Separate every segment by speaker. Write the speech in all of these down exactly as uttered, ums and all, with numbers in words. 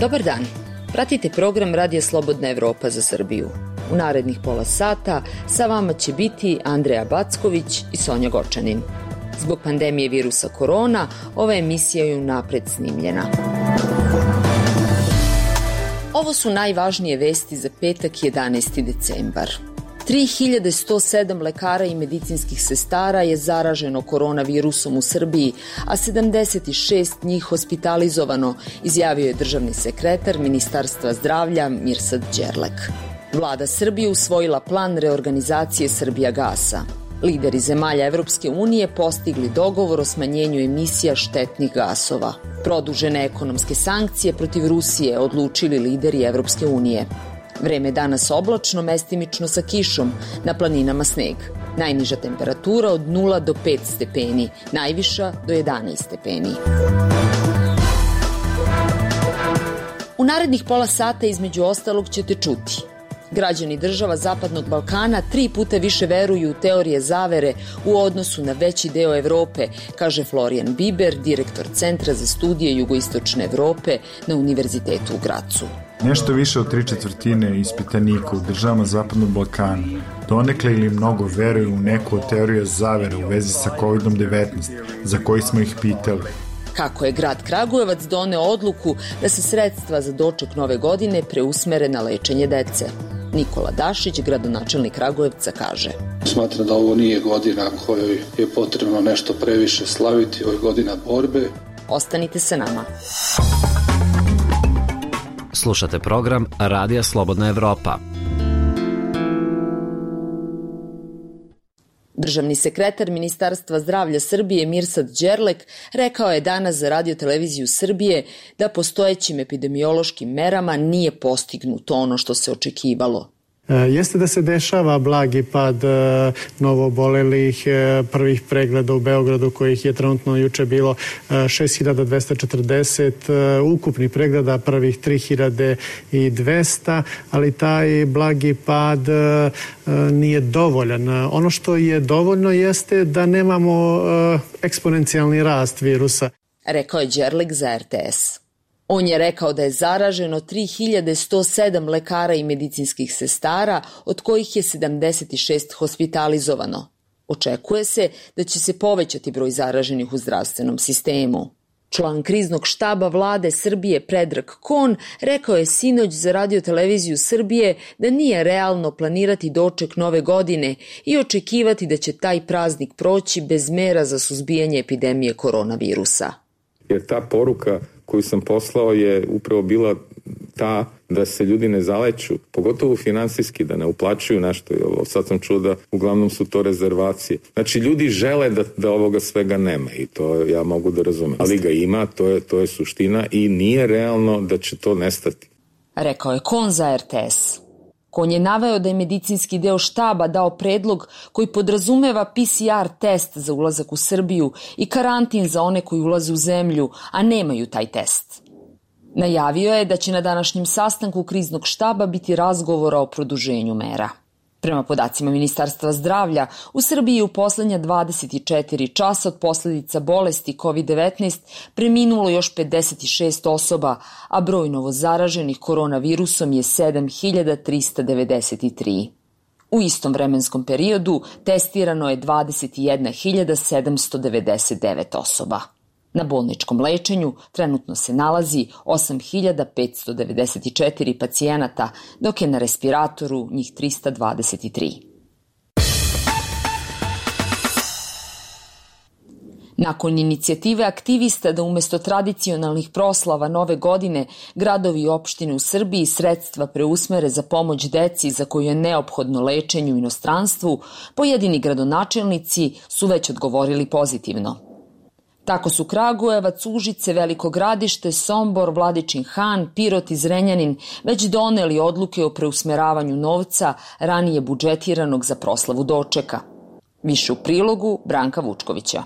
Speaker 1: Dobar dan. Pratite program Radija Slobodna Evropa za Srbiju. U narednih pola sata sa vama će biti Andreja Backović i Sonja Gočanin. Zbog pandemije virusa korona, ova emisija je unapred snimljena. Ovo su najvažnije vesti za petak jedanaesti decembar. tri hiljade sto sedam lekara i medicinskih sestara je zaraženo koronavirusom u Srbiji, a sedamdeset šest njih hospitalizovano, izjavio je državni sekretar Ministarstva zdravlja Mirsad Đerlek. Vlada Srbije usvojila plan reorganizacije Srbijagasa. Lideri zemalja Evropske unije postigli dogovor o smanjenju emisija štetnih gasova. Produžene ekonomske sankcije protiv Rusije odlučili lideri Evropske unije. Vreme danas oblačno, mestimično sa kišom, na planinama sneg. Najniža temperatura od nula do pet stepeni, najviša do jedanaest stepeni. U narednih pola sata između ostalog ćete čuti. Građani država Zapadnog Balkana tri puta više veruju u teorije zavere u odnosu na veći deo Evrope, kaže Florijan Biber, direktor Centra za studije jugoistočne Evrope na Univerzitetu u Gracu.
Speaker 2: Nešto više od tri četvrtine ispitanika u državama Zapadnog Balkana donekle ili mnogo veruju u neku od teorija zavere u vezi sa kovid devetnaest, za koji smo ih pitali.
Speaker 1: Kako je grad Kragujevac doneo odluku da se sredstva za doček nove godine preusmere na lečenje dece. Nikola Dašić, gradonačelnik Kragujevca, kaže:
Speaker 3: Smatram da ovo nije godina kojoj je potrebno nešto previše slaviti, ovo je godina borbe.
Speaker 1: Ostanite sa nama.
Speaker 4: Slušate program Radija Slobodna Evropa.
Speaker 1: Državni sekretar Ministarstva zdravlja Srbije Mirsad Đerlek rekao je danas za Radio televiziju Srbije da postojećim epidemiološkim merama nije postignuto ono što se očekivalo.
Speaker 5: Jeste da se dešava blagi pad novoobolelih, prvih pregleda u Beogradu, kojih je trenutno juče bilo šest hiljada dvesta četrdeset, ukupni pregleda prvih tri hiljade dvesta, ali taj blagi pad nije dovoljan. Ono što je dovoljno jeste da nemamo eksponencijalni rast virusa.
Speaker 1: Rekao je Đerlek za er te es. On je rekao da je zaraženo tri hiljade sto sedam lekara i medicinskih sestara, od kojih je sedamdeset šest hospitalizovano. Očekuje se da će se povećati broj zaraženih u zdravstvenom sistemu. Član kriznog štaba vlade Srbije Predrag Kon rekao je sinoć za Radio televiziju Srbije da nije realno planirati doček nove godine i očekivati da će taj praznik proći bez mera za suzbijanje epidemije koronavirusa.
Speaker 6: Jer ta poruka koju sam poslao je upravo bila ta da se ljudi ne zaleću, pogotovo finansijski, da ne uplaćuju nešto. Sad sam čuo da uglavnom su to rezervacije. Znači, ljudi žele da, da ovoga svega nema i to ja mogu da razumem. Ali ga ima, to je, to je suština i nije realno da će to nestati.
Speaker 1: Rekao je Kon za er te es. Kon je naveo da je medicinski deo štaba dao predlog koji podrazumeva pe ce er test za ulazak u Srbiju i karantin za one koji ulaze u zemlju, a nemaju taj test. Najavio je da će na današnjem sastanku kriznog štaba biti razgovora o produženju mera. Prema podacima Ministarstva zdravlja, u Srbiji u poslednja dvadeset četiri časa od posledica bolesti kovid devetnaest preminulo još pedeset šest osoba, a broj novozaraženih koronavirusom je sedam hiljada trista devedeset tri. U istom vremenskom periodu testirano je dvadeset jedna hiljada sedamsto devedeset devet osoba. Na bolničkom lečenju trenutno se nalazi osam hiljada petsto devedeset četiri pacijenata, dok je na respiratoru njih trista dvadeset tri. Nakon inicijative aktivista da umesto tradicionalnih proslava nove godine gradovi i opštine u Srbiji sredstva preusmere za pomoć deci za koju je neophodno lečenje u inostranstvu, pojedini gradonačelnici su već odgovorili pozitivno. Tako su Kragujevac, Užice, Veliko Gradište, Sombor, Vladičin Han, Pirot i Zrenjanin već doneli odluke o preusmeravanju novca ranije budžetiranog za proslavu dočeka. Više u prilogu Branka Vučkovića.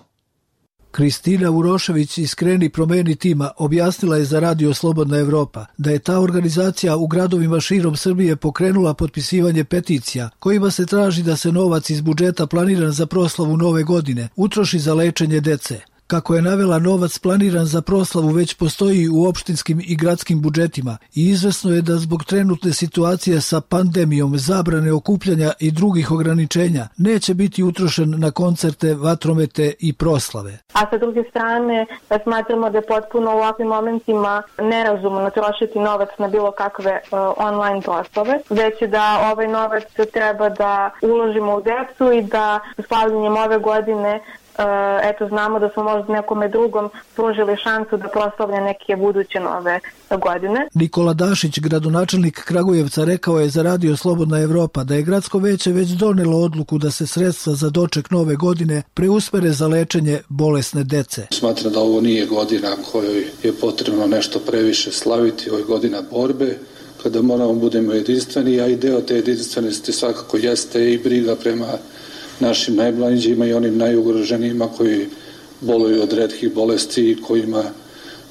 Speaker 7: Kristina Urošević iz Kreni promeni tima objasnila je za Radio Slobodna Evropa da je ta organizacija u gradovima širom Srbije pokrenula potpisivanje peticija kojima se traži da se novac iz budžeta planiran za proslavu nove godine utroši za lečenje dece. Kako je navela, novac planiran za proslavu već postoji u opštinskim i gradskim budžetima i izvesno je da zbog trenutne situacije sa pandemijom, zabrane okupljanja i drugih ograničenja neće biti utrošen na koncerte, vatromete i proslave.
Speaker 8: A sa druge strane, smatramo da je potpuno u ovakvim momentima nerazumno trošiti novac na bilo kakve uh, online proslave, već da ovaj novac treba da uložimo u decu i da slavljanjem ove godine eto znamo da smo možda nekome drugom pružili šansu da proslavlja neke buduće nove godine.
Speaker 7: Nikola Dašić, gradonačelnik Kragujevca, rekao je za Radio Slobodna Evropa da je gradsko veće već donelo odluku da se sredstva za doček nove godine preusmere za lečenje bolesne dece.
Speaker 3: Smatram da ovo nije godina kojoj je potrebno nešto previše slaviti, ovo je godina borbe, kada moramo budemo jedinstveni, a i deo te jedinstvenosti svakako jeste i briga prema našim najmlađima i onim najugroženijima koji boluju od retkih bolesti i kojima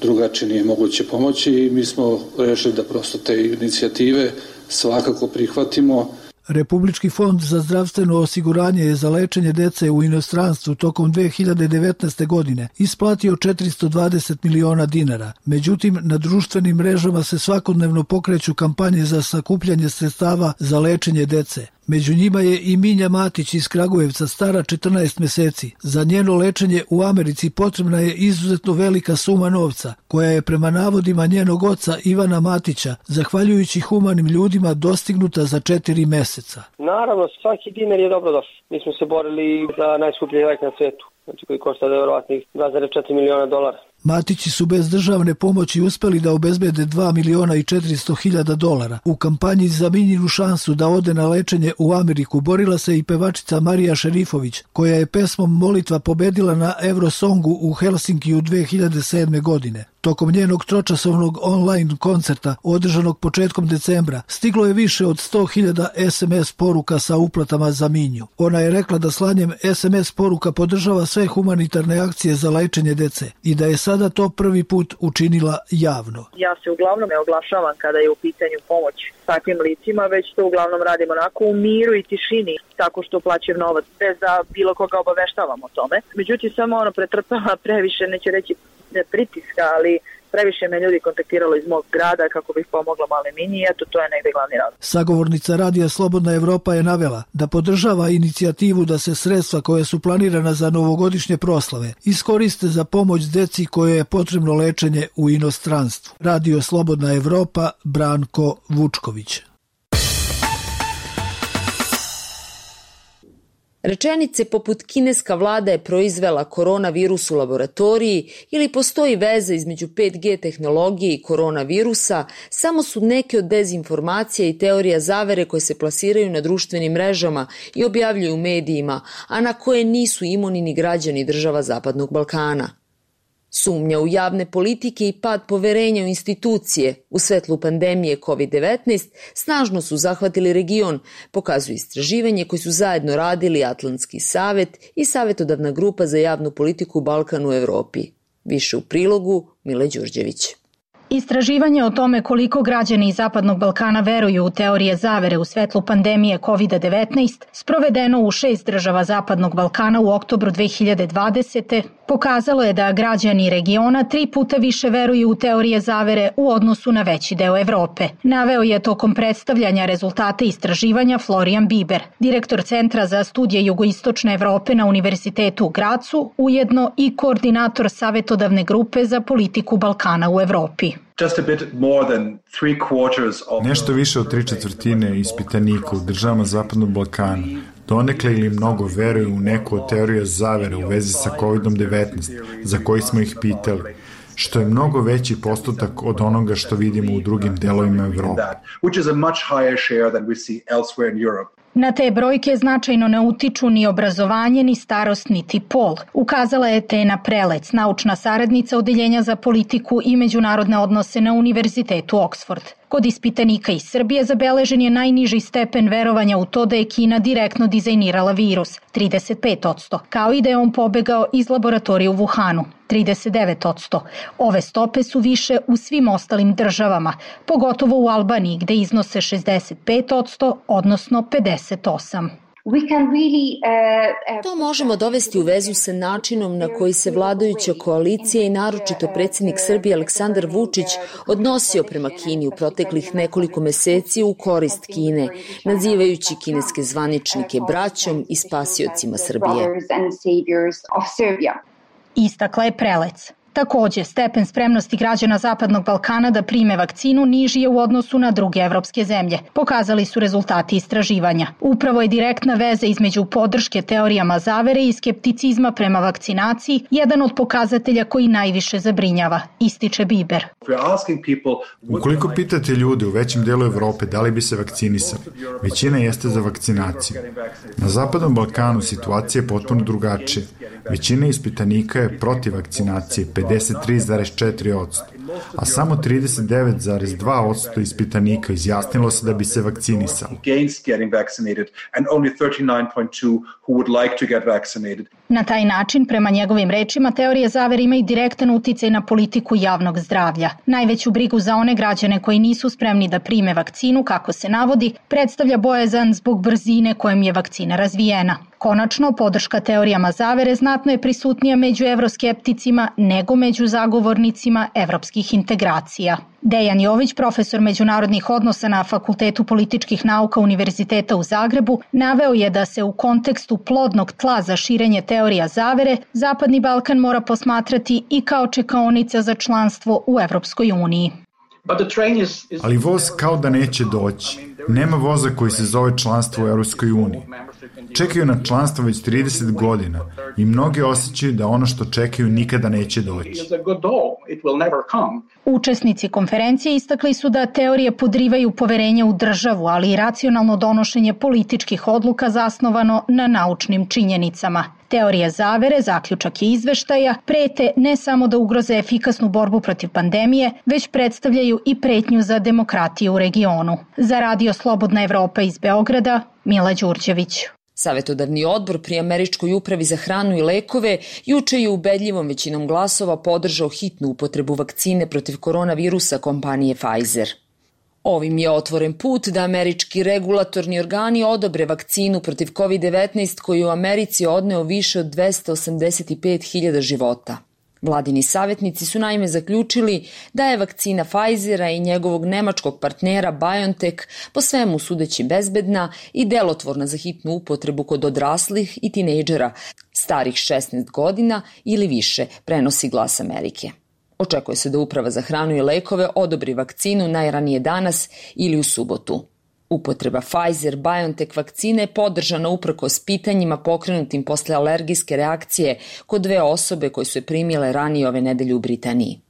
Speaker 3: drugačije nije moguće pomoći, i mi smo rešili da prosto te inicijative svakako prihvatimo.
Speaker 7: Republički fond za zdravstveno osiguranje je za lečenje dece u inostranstvu tokom dve hiljade devetnaeste. godine isplatio četiristo dvadeset miliona dinara. Međutim, na društvenim mrežama se svakodnevno pokreću kampanje za sakupljanje sredstava za lečenje dece. Među njima je i Minja Matić iz Kragujevca, stara četrnaest meseci. Za njeno lečenje u Americi potrebna je izuzetno velika suma novca, koja je prema navodima njenog oca Ivana Matića, zahvaljujući humanim ljudima, dostignuta za četiri meseca.
Speaker 9: Naravno, svaki dinar je dobro došao. Mi smo se borili za najskuplji lek na svetu, znači koji košta verovatnih dva zarez četiri miliona dolara.
Speaker 7: Matići su bez državne pomoći uspeli da obezbede dva miliona i četiristo hiljada dolara. U kampanji za Minjinu šansu da ode na lečenje u Ameriku borila se i pevačica Marija Šerifović, koja je pesmom Molitva pobedila na Eurosongu u Helsinkiju dve hiljade sedme. godine. Tokom njenog tročasovnog online koncerta, održanog početkom decembra, stiglo je više od sto hiljada es em es poruka sa uplatama za Minju. Ona je rekla da slanjem es em es poruka podržava sve humanitarne akcije za lečenje dece i da je sada to prvi put učinila javno.
Speaker 10: Ja se uglavnom ne oglašavam kada je u pitanju pomoć takvim licima, već to uglavnom radim onako u miru i tišini, tako što plaćam novac, bez da bilo koga obaveštavam o tome. Međutim, samo ono pretrpava previše, neće reći pritiska, ali previše me ljudi kontaktiralo iz mog grada kako bih pomogla male Minji i eto, to je negde glavni razlog.
Speaker 7: Sagovornica Radija Slobodna Evropa je navela da podržava inicijativu da se sredstva koje su planirana za novogodišnje proslave iskoriste za pomoć deci koje je potrebno lečenje u inostranstvu. Radio Slobodna Evropa, Branko Vučković.
Speaker 1: Rečenice poput kineska vlada je proizvela koronavirus u laboratoriji ili postoji veza između pet G tehnologije i koronavirusa samo su neke od dezinformacija i teorija zavere koje se plasiraju na društvenim mrežama i objavljuju u medijima, a na koje nisu imuni ni građani država Zapadnog Balkana. Sumnja u javne politike i pad poverenja u institucije u svetlu pandemije kovid devetnaest snažno su zahvatili region, pokazuju istraživanje koje su zajedno radili Atlantski savet i Savetodavna grupa za javnu politiku u Balkanu u Evropi. Više u prilogu Mile Đurđević.
Speaker 11: Istraživanje o tome koliko građani iz Zapadnog Balkana veruju u teorije zavere u svetlu pandemije kovid devetnaest, sprovedeno u šest država Zapadnog Balkana u oktobru dve hiljade dvadesete. pokazalo je da građani regiona tri puta više veruju u teorije zavere u odnosu na veći deo Evrope. Naveo je tokom predstavljanja rezultate istraživanja Florian Biber, direktor Centra za studije jugoistočne Evrope na Univerzitetu u Gracu, ujedno i koordinator Savetodavne grupe za politiku Balkana u Evropi.
Speaker 2: Nešto više od tri četvrtine ispitanika u državama Zapadnog Balkana donekle ili mnogo veruju u neku od teorija zavere u vezi sa kovid devetnaest, za koji smo ih pitali, što je mnogo veći postotak od onoga što vidimo u drugim delovima Evrope.
Speaker 11: Na te brojke značajno ne utiču ni obrazovanje, ni starost, niti pol, ukazala je Tena Prelec, naučna saradnica Odeljenja za politiku i međunarodne odnose na Univerzitetu Oxford. Kod ispitanika iz Srbije zabeležen je najniži stepen verovanja u to da je Kina direktno dizajnirala virus, trideset pet posto, kao i da je on pobegao iz laboratorije u Wuhanu, trideset devet posto. Ove stope su više u svim ostalim državama, pogotovo u Albaniji gde iznose šezdeset pet posto, odnosno pedeset osam posto.
Speaker 1: To možemo dovesti u vezu sa načinom na koji se vladajuća koalicija i naročito predsjednik Srbije Aleksandar Vučić odnosio prema Kini u proteklih nekoliko meseci u korist Kine, nazivajući kineske zvaničnike braćom i spasiocima Srbije.
Speaker 11: Istakla je Prelec. Takođe, stepen spremnosti građana Zapadnog Balkana da prime vakcinu niži je u odnosu na druge evropske zemlje, pokazali su rezultati istraživanja. Upravo je direktna veza između podrške teorijama zavere i skepticizma prema vakcinaciji jedan od pokazatelja koji najviše zabrinjava, ističe Biber.
Speaker 2: Ukoliko pitate ljude u većem delu Evrope da li bi se vakcinisali, većina jeste za vakcinaciju. Na Zapadnom Balkanu situacija je potpuno drugačija. Većina ispitanika je protiv vakcinacije, pedeset tri zarez četiri posto, a samo trideset devet zarez dva posto ispitanika izjasnilo se da bi se vakcinisalo.
Speaker 11: Na taj način, prema njegovim rečima, teorije zavere imaju direktan uticaj na politiku javnog zdravlja. Najveću brigu za one građane koji nisu spremni da prime vakcinu, kako se navodi, predstavlja bojazan zbog brzine kojom je vakcina razvijena. Konačno, podrška teorijama zavere znatno je prisutnija među evroskepticima nego među zagovornicima evropskih integracija. Dejan Jović, profesor međunarodnih odnosa na Fakultetu političkih nauka Univerziteta u Zagrebu, naveo je da se u kontekstu plodnog tla za širenje teorija zavere Zapadni Balkan mora posmatrati i kao čekaonica za članstvo u Evropskoj uniji.
Speaker 2: Ali voz kao da neće doći. Nema voza koji se zove članstvo u Evropskoj uniji. Čekaju na članstvo već trideset godina i mnogi osjećaju da ono što čekaju nikada neće doći.
Speaker 11: Učesnici konferencije istakli su da teorije podrivaju poverenje u državu, ali i racionalno donošenje političkih odluka zasnovano na naučnim činjenicama. Teorije zavere, zaključak i izveštaja, prete ne samo da ugroze efikasnu borbu protiv pandemije, već predstavljaju i pretnju za demokratiju u regionu. Za Radio Slobodna Evropa iz Beograda, Mila Đurđević.
Speaker 1: Savetodavni odbor pri Američkoj upravi za hranu i lekove juče je ubedljivom većinom glasova podržao hitnu upotrebu vakcine protiv koronavirusa kompanije Pfizer. Ovim je otvoren put da američki regulatorni organi odobre vakcinu protiv kovid devetnaest koji u Americi odneo više od dvesta osamdeset pet hiljada života. Vladini savjetnici su naime zaključili da je vakcina Pfizera i njegovog nemačkog partnera BioNTech po svemu sudeći bezbedna i delotvorna za hitnu upotrebu kod odraslih i tinejdžera starih šesnaest godina ili više, prenosi Glas Amerike. Očekuje se da Uprava za hranu i lekove odobri vakcinu najranije danas ili u subotu. Upotreba Pfizer-BioNTech vakcine je podržana uprkos pitanjima pokrenutim posle alergijske reakcije kod dve osobe koje su je primile ranije ove nedelje u Britaniji.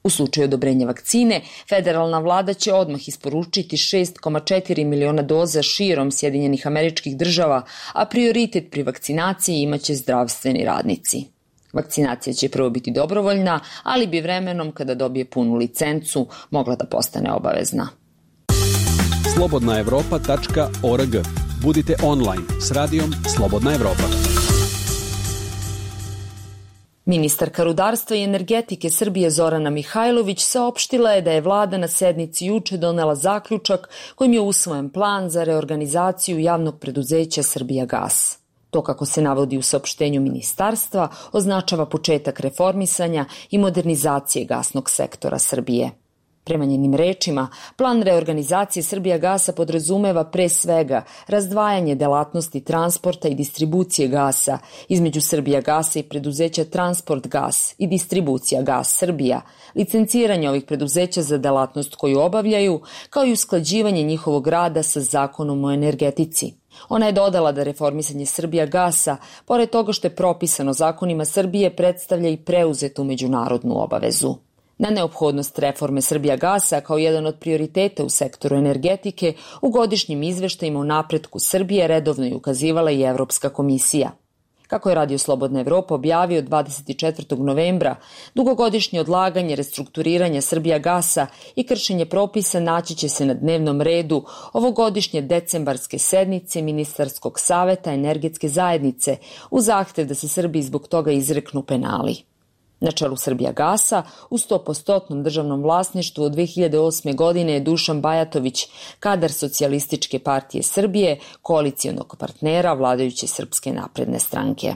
Speaker 1: U slučaju odobrenja vakcine, federalna vlada će odmah isporučiti šest zarez četiri miliona doza širom Sjedinjenih Američkih Država, a prioritet pri vakcinaciji imaće zdravstveni radnici. Vakcinacija će prvo biti dobrovoljna, ali bi vremenom, kada dobije punu licencu, mogla da postane obavezna.
Speaker 12: slobodna evropa tačka org. Budite online s radijom Slobodna Evropa.
Speaker 1: Ministarka rudarstva i energetike Srbije Zorana Mihajlović saopštila je da je vlada na sednici juče donela zaključak kojim je usvojen plan za reorganizaciju javnog preduzeća Srbijagas. To, kako se navodi u saopštenju ministarstva, označava početak reformisanja i modernizacije gasnog sektora Srbije. Prema njenim rečima, plan reorganizacije Srbijagasa podrazumeva pre svega razdvajanje delatnosti transporta i distribucije gasa između Srbijagasa i preduzeća Transport gas i Distribucija gas Srbija, licenciranje ovih preduzeća za delatnost koju obavljaju, kao i usklađivanje njihovog rada sa Zakonom o energetici. Ona je dodala da reformisanje Srbijagasa, pored toga što je propisano zakonima Srbije, predstavlja i preuzetu međunarodnu obavezu. Na neophodnost reforme Srbijagasa kao jedan od prioriteta u sektoru energetike u godišnjim izveštajima o napretku Srbije redovno je ukazivala i Evropska komisija. Kako je Radio Slobodna Evropa objavio dvadeset četvrtog novembra, dugogodišnje odlaganje restrukturiranja Srbijagasa i kršenje propisa naći će se na dnevnom redu ovogodišnje decembarske sednice Ministarskog saveta energetske zajednice u zahtev da se Srbiji zbog toga izreknu penali. Na čelu Srbijagasa u sto posto državnom vlasništvu od dve hiljade osme. godine je Dušan Bajatović, kadar Socijalističke partije Srbije, koalicijonog partnera vladajuće Srpske napredne stranke.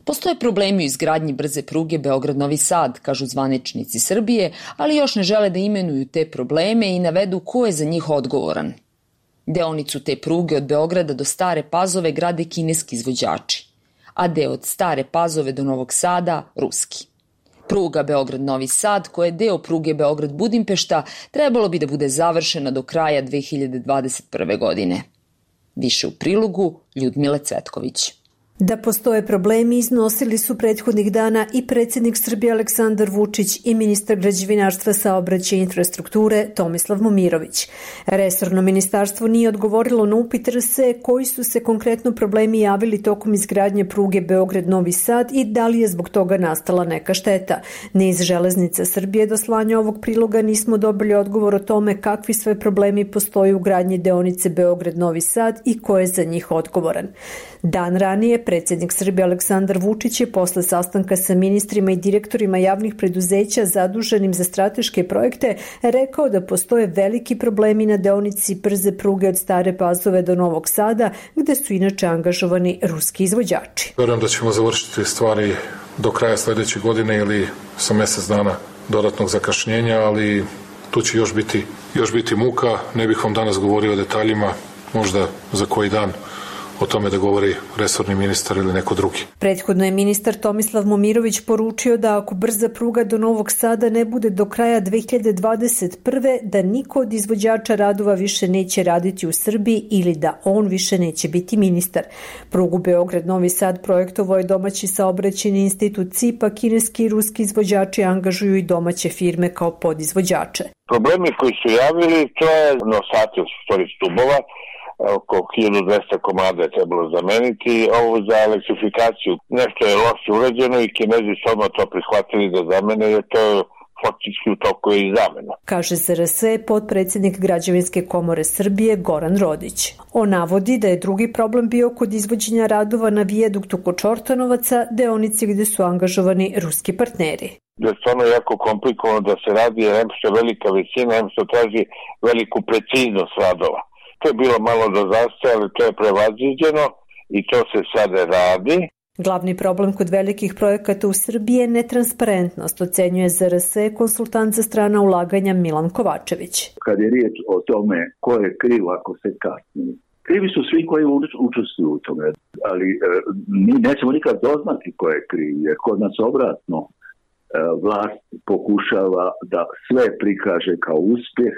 Speaker 1: Postoje problemi u izgradnji brze pruge Beograd-Novi Sad, kažu zvaničnici Srbije, ali još ne žele da imenuju te probleme i navedu ko je za njih odgovoran. Deonicu te pruge od Beograda do Stare Pazove grade kineski izvođači, a deo od Stare Pazove do Novog Sada ruski. Pruga Beograd-Novi Sad, koja je deo pruge Beograd-Budimpešta, trebalo bi da bude završena do kraja dve hiljade dvadeset prve. godine. Više u prilogu Ljudmile Cvetković.
Speaker 13: Da postoje problemi iznosili su prethodnih dana i predsjednik Srbije Aleksandar Vučić i ministar građevinarstva, saobraćaja i infrastrukture Tomislav Momirović. Resorno ministarstvo nije odgovorilo na upit R S E koji su se konkretno problemi javili tokom izgradnje pruge Beograd-Novi Sad i da li je zbog toga nastala neka šteta. Ni iz Železnica Srbije do slanja ovog priloga nismo dobili odgovor o tome kakvi sve problemi postoje u gradnji deonice Beograd-Novi Sad i ko je za njih odgovoran. Dan ranije predsjednik Srbije Aleksandar Vučić je posle sastanka sa ministrima i direktorima javnih preduzeća zaduženim za strateške projekte rekao da postoje veliki problemi na deonici brze pruge od Stare Pazove do Novog Sada, gde su inače angažovani ruski izvođači.
Speaker 14: Verujem da ćemo završiti stvari do kraja sledeće godine ili sa mesec dana dodatnog zakašnjenja, ali tu će još biti, još biti muka. Ne bih vam danas govorio o detaljima, možda za koji dan o tome da govori resorni ministar ili neko drugi.
Speaker 13: Prethodno je ministar Tomislav Momirović poručio da ako brza pruga do Novog Sada ne bude do kraja dve hiljade dvadeset prve. da niko od izvođača radova više neće raditi u Srbiji ili da on više neće biti ministar. Prugu Beograd-Novi Sad projektovao je domaći saobraćajni institut C I P, a kineski i ruski izvođači angažuju i domaće firme kao podizvođače.
Speaker 15: Problemi koji su javili, to je nosati od stvari stubova, oko hiljadu dvesta komada je trebalo zameniti, ovo za elektrifikaciju. Nešto je loše urađeno i Kinezi su odmah to prihvatili da zamene, jer to je faktički u toku je i zamena.
Speaker 13: Kaže za R S E potpredsjednik Građevinske komore Srbije Goran Rodić. On navodi da je drugi problem bio kod izvođenja radova na vijaduktu kod Čortanovaca, deonici gde su angažovani ruski partneri.
Speaker 15: Da je stvarno jako komplikovano da se radi, jer em što je velika visina, em što traži veliku preciznost radova. To je bilo malo do zastoja, ali to je prevaziđeno i to se sada radi.
Speaker 13: Glavni problem kod velikih projekata u Srbiji je netransparentnost, ocenjuje za R S E konsultant za strana ulaganja Milan Kovačević.
Speaker 16: Kad je riječ o tome ko je kriv ako se kasni, krivi su svi koji učestvuju u tome, ali e, mi nećemo nikad doznati ko je kriv, jer kod nas obratno e, vlast pokušava da sve prikaže kao uspjeh,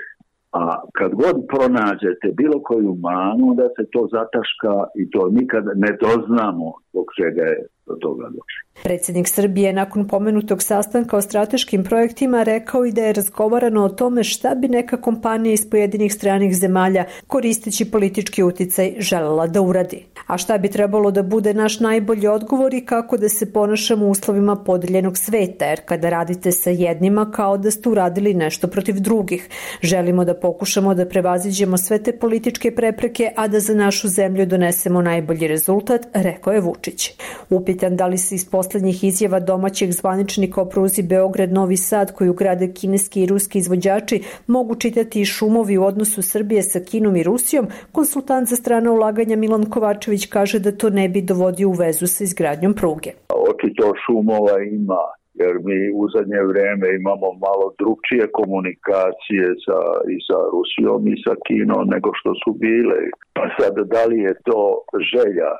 Speaker 16: a kad god pronađete bilo koju manu, da se to zataška i to nikad ne doznamo zbog čega je do toga došlo.
Speaker 13: Predsjednik Srbije nakon pomenutog sastanka o strateškim projektima rekao i da je razgovarano o tome šta bi neka kompanija iz pojedinih stranih zemalja koristeći politički uticaj želela da uradi. A šta bi trebalo da bude naš najbolji odgovor i kako da se ponašamo u uslovima podeljenog sveta, jer kada radite sa jednima kao da ste uradili nešto protiv drugih. Želimo da pokušamo da prevaziđemo sve te političke prepreke, a da za našu zemlju donesemo najbolji rezultat, rekao je Vučić. Upitan da li se iz poslednjih izjava domaćih zvaničnika o pruzi Beograd-Novi Sad koju grade kineski i ruski izvođači mogu čitati i šumovi u odnosu Srbije sa Kinom i Rusijom, konsultant za strana ulaganja Milan Kovačević kaže da to ne bi dovodio u vezu sa izgradnjom pruge.
Speaker 16: Očito šumova ima, jer mi u zadnje vreme imamo malo drugčije komunikacije sa, i sa Rusijom i sa Kinom nego što su bile. Pa sad, da li je to želja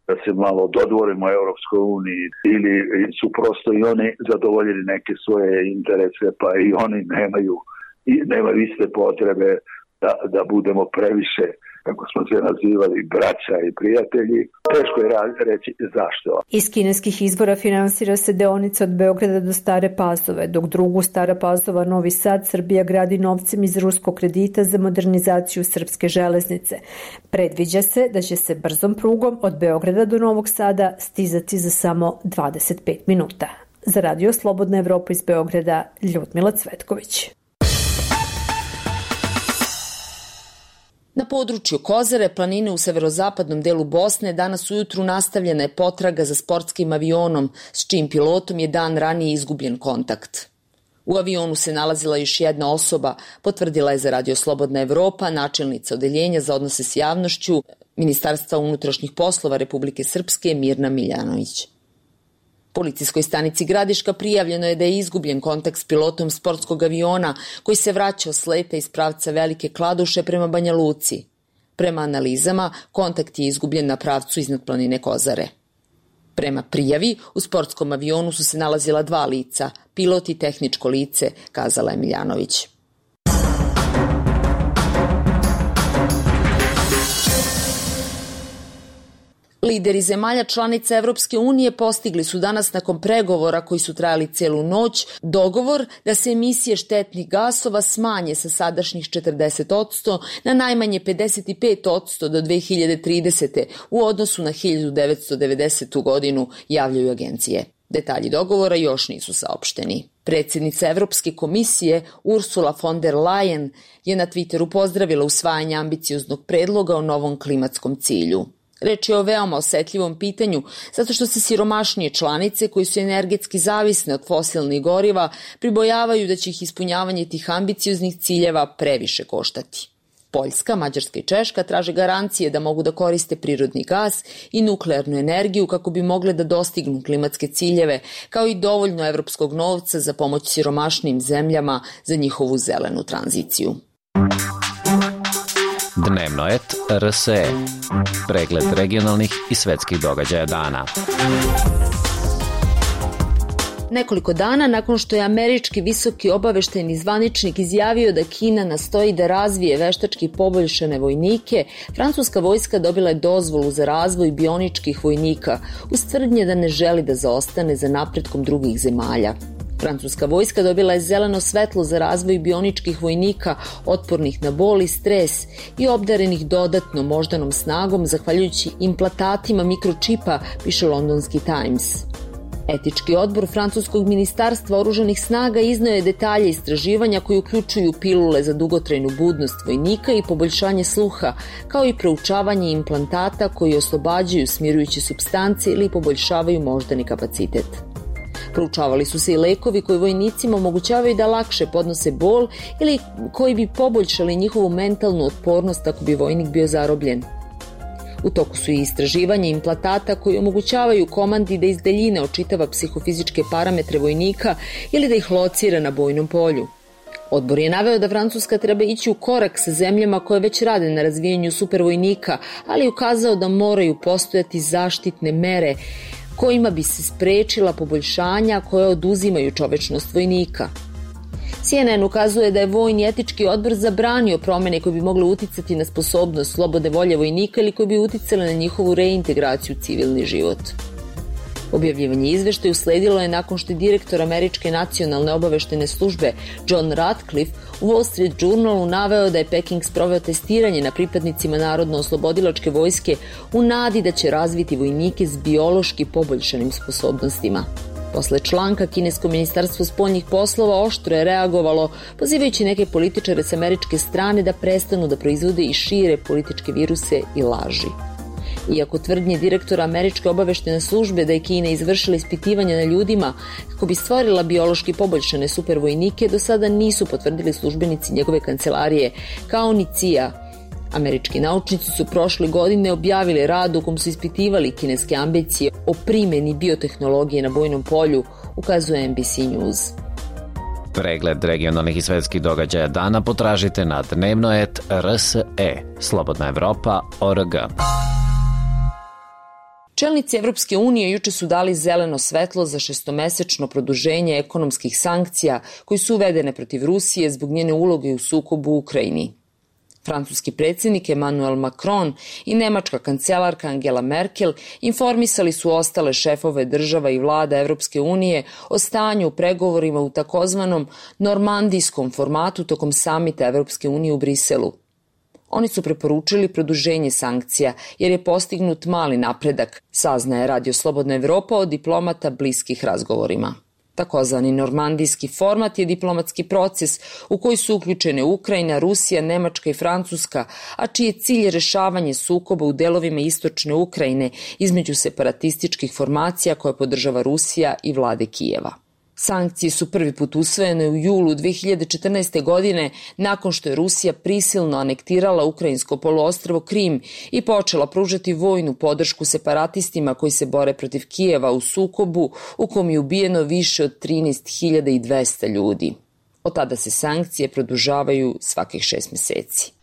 Speaker 16: da se malo dodvorimo Europskoj uniji ili su prosto i oni zadovoljili neke svoje interese, pa i oni nemaju, i nemaju iste potrebe da, da budemo previše, kako smo se nazivali, braća i prijatelji. Teško je reći zašto.
Speaker 13: Iz kineskih izvora finansira se deonica od Beograda do Stare Pazove, dok drugu Stara Pazova Novi Sad Srbija gradi novcem iz ruskog kredita za modernizaciju srpske železnice. Predviđa se da će se brzom prugom od Beograda do Novog Sada stizati za samo dvadeset pet minuta. Za Radio Slobodna Evropa iz Beograda,
Speaker 1: Na području Kozare, planine u severozapadnom delu Bosne, danas ujutru nastavljena je potraga za sportskim avionom, s čijim pilotom je dan ranije izgubljen kontakt. U avionu se nalazila još jedna osoba, potvrdila je za Radio Slobodna Evropa načelnica odeljenja za odnose s javnošću Ministarstva unutrašnjih poslova Republike Srpske Mirna Miljanović. Policijskoj stanici Gradiška prijavljeno je da je izgubljen kontakt s pilotom sportskog aviona koji se vraćao s leta iz pravca Velike Kladuše prema Banja Luci. Prema analizama, kontakt je izgubljen na pravcu iznad planine Kozare. Prema prijavi, u sportskom avionu su se nalazila dva lica, pilot i tehničko lice, kazala je Miljanović. Lideri zemalja članica Evropske unije postigli su danas nakon pregovora koji su trajali celu noć dogovor da se emisije štetnih gasova smanje sa sadašnjih četrdeset posto na najmanje pedeset pet posto do dve hiljade tridesete. u odnosu na hiljadu devetsto devedesetu. godinu, javljaju agencije. Detalji dogovora još nisu saopšteni. Predsjednica Evropske komisije Ursula von der Leyen je na Twitteru pozdravila usvajanje ambicioznog predloga o novom klimatskom cilju. Reč je o veoma osetljivom pitanju, zato što se siromašnije članice koji su energetski zavisne od fosilnih goriva pribojavaju da će ih ispunjavanje tih ambicioznih ciljeva previše koštati. Poljska, Mađarska i Češka traže garancije da mogu da koriste prirodni gas i nuklearnu energiju kako bi mogle da dostignu klimatske ciljeve, kao i dovoljno evropskog novca za pomoć siromašnijim zemljama za njihovu zelenu tranziciju.
Speaker 4: Dnevno et R S E. Pregled regionalnih i svetskih događaja dana.
Speaker 1: Nekoliko dana nakon što je američki visoki obaveštajni zvaničnik izjavio da Kina nastoji da razvije veštački poboljšane vojnike, francuska vojska dobila je dozvolu za razvoj bioničkih vojnika, uz tvrdnje da ne želi da zaostane za napretkom drugih zemalja. Francuska vojska dobila je zeleno svetlo za razvoj bioničkih vojnika otpornih na bol i stres i obdarenih dodatno moždanom snagom zahvaljujući implantatima mikročipa, piše londonski Times. Etički odbor francuskog ministarstva oružanih snaga izneo je detalje istraživanja koji uključuju pilule za dugotrajnu budnost vojnika i poboljšanje sluha, kao i proučavanje implantata koji oslobađaju smirujuće supstance ili poboljšavaju moždani kapacitet. Proučavali su se i lekovi koji vojnicima omogućavaju da lakše podnose bol ili koji bi poboljšali njihovu mentalnu otpornost ako bi vojnik bio zarobljen. U toku su i istraživanje implantata koji omogućavaju komandi da iz daljine očitava psihofizičke parametre vojnika ili da ih locira na bojnom polju. Odbor je naveo da Francuska treba ići u korak sa zemljama koje već rade na razvijanju supervojnika, ali je ukazao da moraju postojati zaštitne mere kojima bi se sprečila poboljšanja koje oduzimaju čovečnost vojnika. C N N ukazuje da je Vojni etički odbor zabranio promene koje bi mogle uticati na sposobnost slobode volje vojnika ili koje bi uticale na njihovu reintegraciju u civilni život. Objavljivanje izveštaja usledilo je nakon što je direktor Američke nacionalne obaveštene službe John Ratcliffe u Wall Street Journalu naveo da je Peking sproveo testiranje na pripadnicima Narodno-oslobodilačke vojske u nadi da će razviti vojnike s biološki poboljšanim sposobnostima. Posle članka, kinesko ministarstvo spoljnih poslova oštro je reagovalo, pozivajući neke političare s američke strane da prestanu da proizvode i šire političke viruse i laži. Iako tvrdnje direktora Američke obaveštene službe da je Kina izvršila ispitivanja na ljudima kako bi stvorila biološki poboljšane supervojnike, do sada nisu potvrdili službenici njegove kancelarije, kao ni C I A. Američki naučnici su prošle godine objavili rad u kom su ispitivali kineske ambicije o primjeni biotehnologije na bojnom polju, ukazuje N B C News.
Speaker 4: Pregled regionalnih i svetskih događaja dana potražite na dnevno et R S E, Slobodna Evropa, O R G.
Speaker 1: Čelnici Evropske unije juče su dali zeleno svetlo za šestomesečno produženje ekonomskih sankcija koji su uvedene protiv Rusije zbog njene uloge u sukobu u Ukrajini. Francuski predsjednik Emmanuel Macron i nemačka kancelarka Angela Merkel informisali su ostale šefove država i vlada Evropske unije o stanju u pregovorima u takozvanom normandijskom formatu tokom samita Evropske unije u Briselu. Oni su preporučili produženje sankcija jer je postignut mali napredak, saznaje Radio Slobodna Evropa od diplomata bliskih razgovorima. Takozvani normandijski format je diplomatski proces u koji su uključene Ukrajina, Rusija, Nemačka i Francuska, a čiji je cilj rešavanje sukoba u delovima istočne Ukrajine između separatističkih formacija koje podržava Rusija i vlade Kijeva. Sankcije su prvi put usvojene u julu dve hiljade četrnaeste. godine nakon što je Rusija prisilno anektirala ukrajinsko poluostrvo Krim i počela pružati vojnu podršku separatistima koji se bore protiv Kijeva u sukobu u kom je ubijeno više od trinaest hiljada dvesta ljudi. Od tada se sankcije produžavaju svakih šest meseci.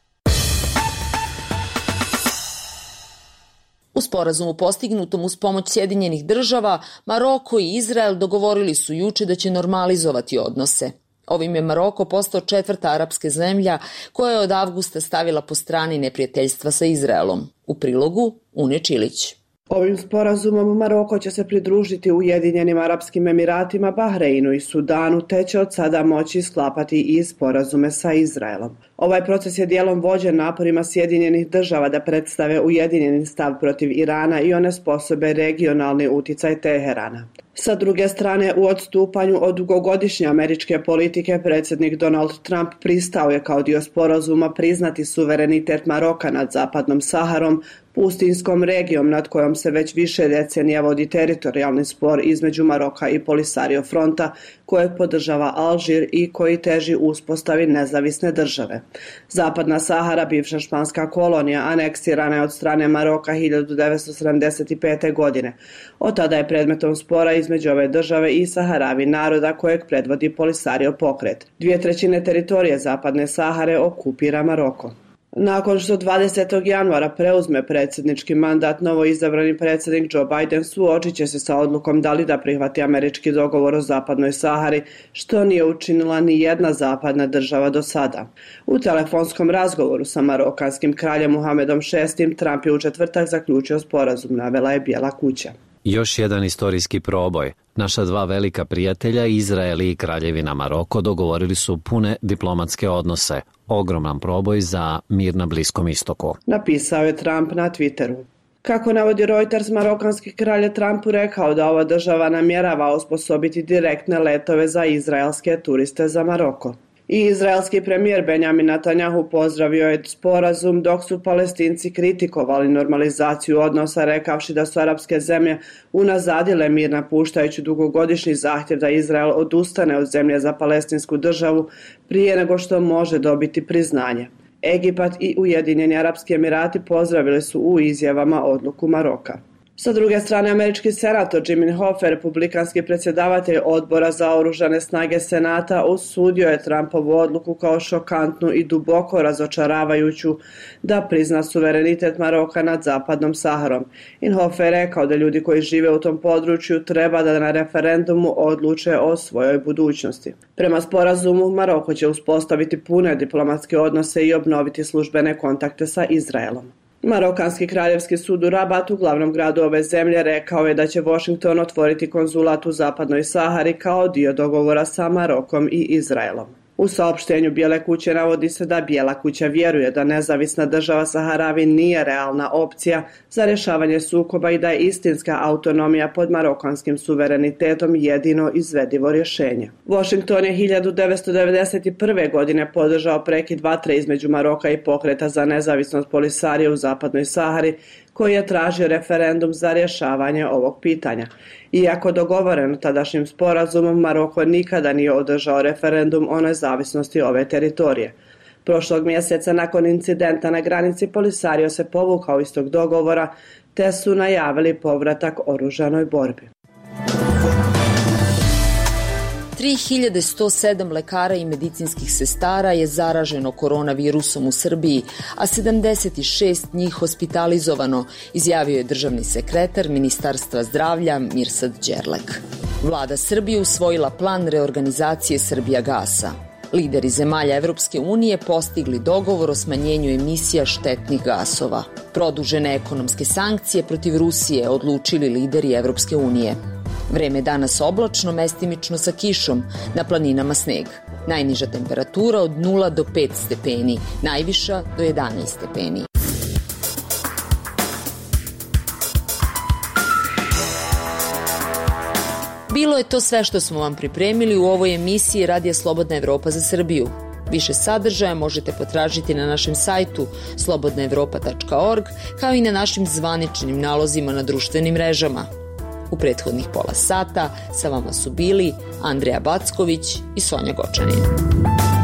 Speaker 1: U sporazumu postignutom uz pomoć Sjedinjenih država, Maroko i Izrael dogovorili su juče da će normalizovati odnose. Ovim je Maroko postao četvrta arapska zemlja koja je od avgusta stavila po strani neprijateljstva sa Izraelom. U prilogu Une Čilić.
Speaker 17: Ovim sporazumom Maroko će se pridružiti Ujedinjenim Arapskim Emiratima, Bahreinu i Sudanu, te će od sada moći sklapati i sporazume sa Izraelom. Ovaj proces je dijelom vođen naporima Sjedinjenih država da predstave ujedinjeni stav protiv Irana i onesposobe regionalni uticaj Teherana. Sa druge strane, u odstupanju od dugogodišnje američke politike, predsjednik Donald Trump pristao je kao dio sporazuma priznati suverenitet Maroka nad zapadnom Saharom, pustinskom regijom nad kojom se već više decenija vodi teritorijalni spor između Maroka i Polisario fronta, kojeg podržava Alžir i koji teži uspostavi nezavisne države. Zapadna Sahara, bivša španska kolonija, aneksirana je od strane Maroka hiljadu devetsto sedamdeset pete. godine. Od tada je predmetom spora između ove države i Saharavi naroda kojeg predvodi Polisario pokret. Dvije trećine teritorije Zapadne Sahare okupira Maroko. Nakon što dvadesetog januara preuzme predsjednički mandat, novoizabrani predsjednik Joe Biden suočit će se sa odlukom da li da prihvati američki dogovor o Zapadnoj Sahari, što nije učinila ni jedna zapadna država do sada. U telefonskom razgovoru sa marokanskim kraljem Muhamedom šestim. Trump je u četvrtak zaključio sporazum, navela je Bijela kuća.
Speaker 4: Još jedan istorijski proboj. Naša dva velika prijatelja, Izrael i Kraljevina Maroko, dogovorili su pune diplomatske odnose. Ogroman proboj za mir na Bliskom istoku.
Speaker 17: Napisao je Trump na Twitteru. Kako navodi Reuters, marokanski kralj je Trumpu rekao da ova država namjerava osposobiti direktne letove za izraelske turiste za Maroko. I izraelski premijer Benjamin Netanjahu pozdravio je sporazum, dok su Palestinci kritikovali normalizaciju odnosa, rekavši da su arapske zemlje unazadile mir napuštajući dugogodišnji zahtjev da Izrael odustane od zemlje za palestinsku državu prije nego što može dobiti priznanje. Egipat i Ujedinjeni Arapski Emirati pozdravili su u izjavama odluku Maroka. Sa druge strane, američki senator Jimmy Hoffa, republikanski predsjedavatelj odbora za oružane snage Senata, osudio je Trumpovu odluku kao šokantnu i duboko razočaravajuću da prizna suverenitet Maroka nad zapadnom Saharom. In Hoffa je rekao da ljudi koji žive u tom području treba da na referendumu odluče o svojoj budućnosti. Prema sporazumu, Maroko će uspostaviti pune diplomatske odnose i obnoviti službene kontakte sa Izraelom. Marokanski kraljevski sud u Rabatu, glavnom gradu ove zemlje, rekao je da će Washington otvoriti konzulat u Zapadnoj Sahari kao dio dogovora sa Marokom i Izraelom. U saopštenju Bijele kuće navodi se da Bijela kuća vjeruje da nezavisna država Saharavi nije realna opcija za rješavanje sukoba i da je istinska autonomija pod marokanskim suverenitetom jedino izvedivo rješenje. Washington je hiljadu devetsto devedeset prve. godine podržao prekid vatre između Maroka i pokreta za nezavisnost Polisarije u Zapadnoj Sahari, koji je tražio referendum za rješavanje ovog pitanja. Iako dogovoreno tadašnjim sporazumom, Maroko nikada nije održao referendum o nezavisnosti ove teritorije. Prošlog mjeseca, nakon incidenta na granici, Polisario se povukao iz tog dogovora, te su najavili povratak oružanoj borbi.
Speaker 1: tri hiljade sto sedam lekara i medicinskih sestara je zaraženo koronavirusom u Srbiji, a sedamdeset šest njih hospitalizovano, izjavio je državni sekretar Ministarstva zdravlja Mirsad Đerlek. Vlada Srbije usvojila plan reorganizacije Srbijagasa. Lideri zemalja Evropske unije postigli dogovor o smanjenju emisija štetnih gasova. Produžene ekonomske sankcije protiv Rusije odlučili lideri Evropske unije. Vreme danas oblačno, mestimično sa kišom, na planinama sneg. Najniža temperatura od nula do pet stepeni, najviša do jedanaest stepeni. Bilo je to sve što smo vam pripremili u ovoj emisiji Radija Slobodna Evropa za Srbiju. Više sadržaja možete potražiti na našem sajtu slobodna evropa tačka org, kao i na našim zvaničnim nalozima na društvenim mrežama. U prethodnih pola sata sa vama su bili Andreja Backović i Sonja Gočanin.